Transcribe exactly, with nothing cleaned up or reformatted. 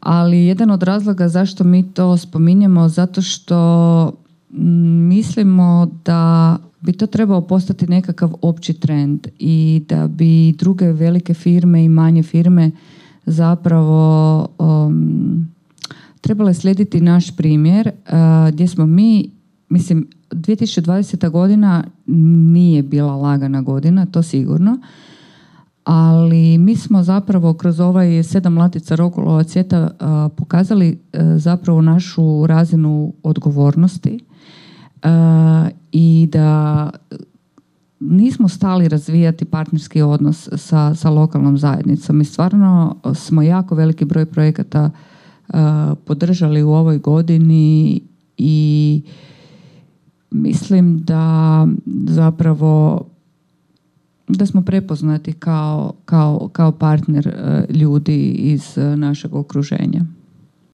Ali jedan od razloga zašto mi to spominjemo, zato što mislimo da bi to trebao postati nekakav opći trend i da bi druge velike firme i manje firme zapravo um, trebale slijediti naš primjer uh, gdje smo mi, mislim, dvije tisuće dvadeseta godina nije bila lagana godina, to sigurno, ali mi smo zapravo kroz ovaj sedam latica Rokulova cvijeta uh, pokazali uh, zapravo našu razinu odgovornosti uh, i da nismo stali razvijati partnerski odnos sa, sa lokalnom zajednicom. Mi stvarno smo jako veliki broj projekata uh, podržali u ovoj godini i mislim da zapravo da smo prepoznati kao, kao, kao partner uh, ljudi iz uh, našeg okruženja.